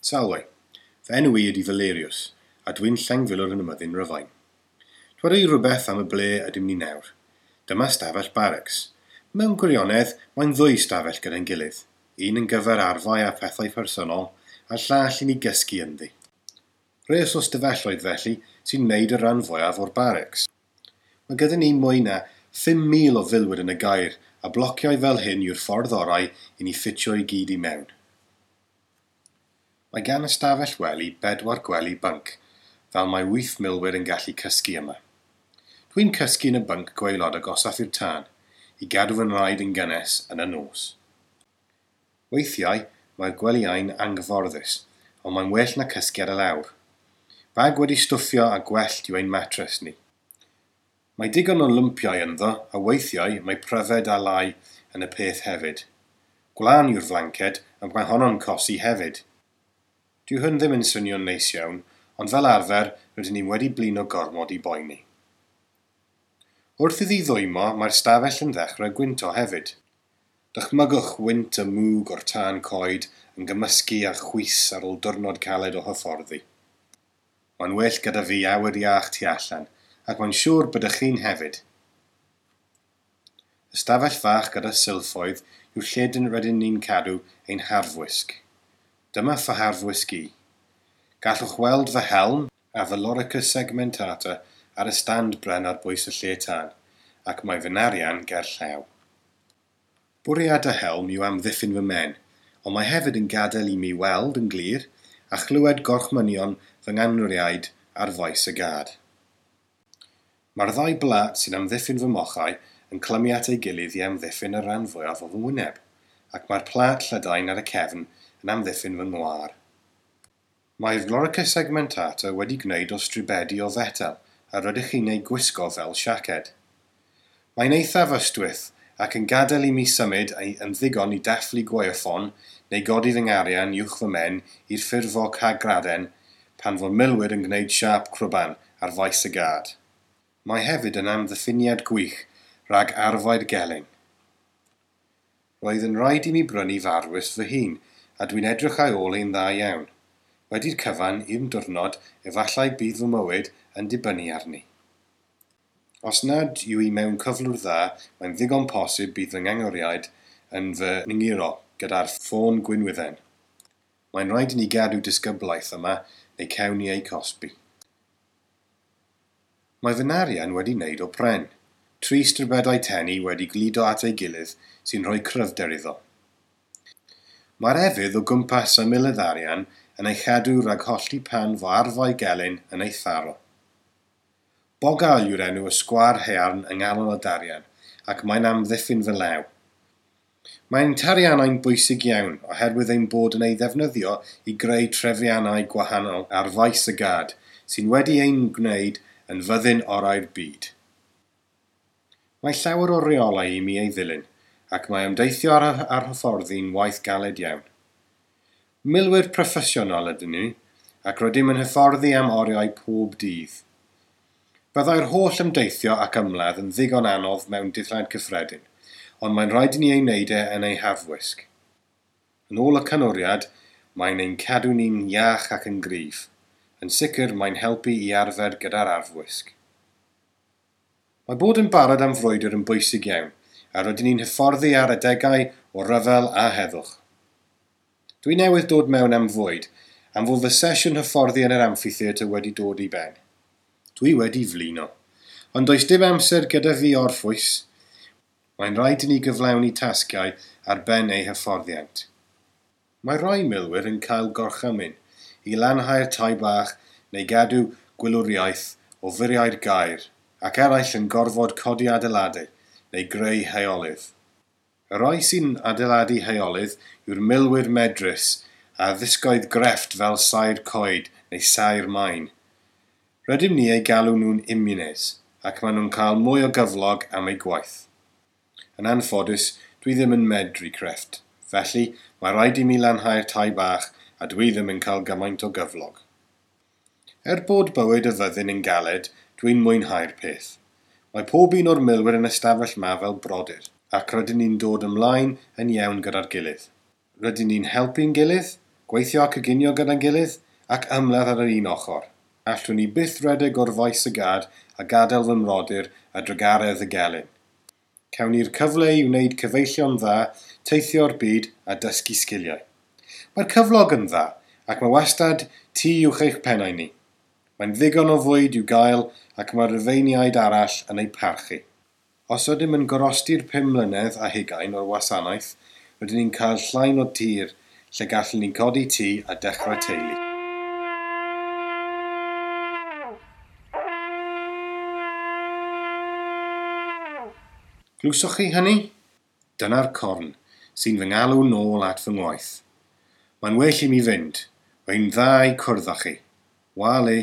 Salwe, fy enw i ydy Valerius, a dwi'n llengfilwr yn y myddin Rhyfain. Dweda i rhywbeth am y ble ydym ni nawr. Dyma stafell barracks. Mewn gwirionedd, mae'n ddwy stafell gyda'n gilydd. Un yn gyfer arfau a phethau personol, a'r llall i ni gysgu ynddi. Rhes o stafelloedd felly sy'n wneud y rhan fwyaf o'r barracks. Mae gyda ni mwy na 5,000 o filwyr yn y gaer, a blociau fel hyn yw'r ffordd orau i ni ffitio i gyd i mewn. Mae gan y stafell wely bedwar gwely bync, fel mae 8 milwyr yn gallu cysgu yma. Dwi'n cysgu yn y bync gwaelod agosaf i'r tân, i gadw fy nhraed yn gynnes yn y nos. Weithiau, mae'r gwelyau'n anghyfforddus, ond mae'n well na cysgu ar y lawr. Bag wedi stwffio a gwellt yw ein matres ni. Mae digon o lwmpiau ynddo, a weithiau mae pryfed a lai yn y peth hefyd. Gwlân yw'r flanced, ac mae honno'n cosi hefyd. Dyw hwn ddim yn swnio'n neis iawn, ond fel arfer rydyn ni wedi blino gormod i boeni. Wrth iddi ddwymo, mae'r stafell yn ddechrau gwynto hefyd. Dychmygwch wynt y mwg o'r tân coed yn gymysgu â chwys ar ôl diwrnod caled o hyfforddi. Mae'n well gyda fi awyr iach tu allan, ac mae'n siŵr byddech chi'n hefyd. Y stafell fach gyda silffoedd yw lle rydyn ni'n cadw ein harfwisg. Dyma fy harfwisg i. Gallwch weld fy helm a fy lorica segmentata ar y stand bren ar bwys y lle tân, ac mae fy narian ger llaw. Bwriad y helm yw amddiffyn fy mhen, ond mae hefyd yn gadael i mi weld yn glir a chlywed gorchmynion fy nganwriaid ar faes y gad. Mae'r ddau blat sy'n amddiffyn fy mochau yn clymu at ei gilydd i amddiffyn y rhan fwyaf o fy ngwyneb, ac mae'r plat llydain ar y cefn yn amddiffyn fy ngwar. Mae'r lorica segmentata wedi gwneud o stribedi o fetel a rydych chi'n ei gwisgo fel siaced. Mae'n eithaf ystwyth ac yn gadael i mi symud yn ddigon i dathlu gwaywffon neu godi fy ngarian uwch fy mhen i'r ffurfo cagraden pan fo'r milwyr yn gwneud siâp crwban ar faes y gad. Mae hefyd yn amddiffyniad gwych rhag arfau'r gelyn. Roedd yn rhaid i mi brynu f'arfwisg fy hun, a dwi'n edrych ar ôl ein dda iawn. Wedi'r cyfan, un diwrnod, efallai bydd fy mywyd yn dibynnu arni. Os nad yw i mewn cyflwr dda, mae'n ddigon posib bydd fy ngangoriaid yn fy nghuro gyda'r ffôn gwinwydden. Mae'n rhaid i ni gadw disgyblaeth yma neu cawn ni ei cosbi. Mae fy narian wedi wneud o pren. Tri stribedau tenni wedi gludo at ei gilydd sy'n rhoi cryfder iddo. Mae'r efydd o gwmpas ymyl y ddarian yn ei chadw rhag hollti pan fo arfau gelyn yn ei tharo. Bogal yw'r enw y sgwâr haearn yng nghanol y darian, ac mae'n amddiffyn fy law. Mae'n tariannau'n bwysig iawn oherwydd ein bod yn ei ddefnyddio i greu trefiannau gwahanol ar faes y gad, sy'n wedi ein gwneud yn fyddin orau'r byd. Mae llawer o reolau i mi ei ddilyn, ac mae ymdeithio ar hyfforddi'n waith galed iawn. Milwyr proffesiynol ydyn ni, ac rydym yn hyfforddi am oriau pob dydd. Byddai'r holl ymdeithio ac ymladd yn ddigon anodd mewn dillad cyffredin, ond mae'n rhaid i ni ei wneud e yn ei harfwisg. Yn ôl y canwriad, mae'n ein cadw ni'n iach ac yn gryf. Yn sicr, mae'n helpu i arfer gyda'r arfwisg. Mae bod yn barod am frwydr yn bwysig iawn, a rydyn ni'n hyfforddi ar adegau o ryfel a heddwch. Dwi newydd dod mewn am fwyd, am fod fy sesiwn hyfforddi yn yr amphitheatr wedi dod i ben. Dwi wedi flino, ond does dim amser gyda fi orffwys. Mae'n rhaid i ni gyflawni tasgau ar ben eu hyfforddiant. Mae rhai milwyr yn cael gorchymyn i lanhau'r tai bach neu gadw gwylwriaeth o furiau'r gaer, ac eraill yn gorfod codi adeiladau neu greu heolydd. Y rhai sy'n adeiladu heolydd yw'r milwyr medrus a ddisgoedd grefft fel saer coed neu saer maen. Rydym ni eu galw nhw'n immunes, ac maen nhw'n cael mwy o gyflog am eu gwaith. Yn anffodus, dwi ddim yn medru crefft, felly mae rhaid i mi lanhau'r tai bach a dwi ddim yn cael gymaint o gyflog. Er bod bywyd y fyddin yn galed, dwi'n mwynhau'r peth. Mae pob un o'r milwyr yn y stafell ma fel brodyr, ac rydyn ni'n dod ymlaen yn iawn gyda'r gilydd. Rydyn ni'n helpu'n gilydd, Gweithio a coginio gyda'n gilydd ac ymladd ar yr un ochr. Allwn ni byth redeg o'r faes y gad a gadael fy mrodyr a drugaredd y gelyn. Cawn ni'r cyfle i wneud cyfeillion dda, teithio'r byd a dysgu sgiliau. Mae'r cyflog yn dda ac mae wastad tŷ uwch eich pennau ni. Mae'n ddigon o fwyd i'w gael ac mae'r Rufeiniaid arall yn ei parchu. Os ydym yn gorosti'r 25 o'r wasanaeth, rydyn ni'n cael llain o tir lle gallwn ni codi tŷ a dechrau teulu. Glywsoch chi hynny? Dyna'r corn sy'n fy ngalw nôl at fy ngwaith. Mae'n well i mi fynd. Mae'n dda i cwrdd â chi. Wale.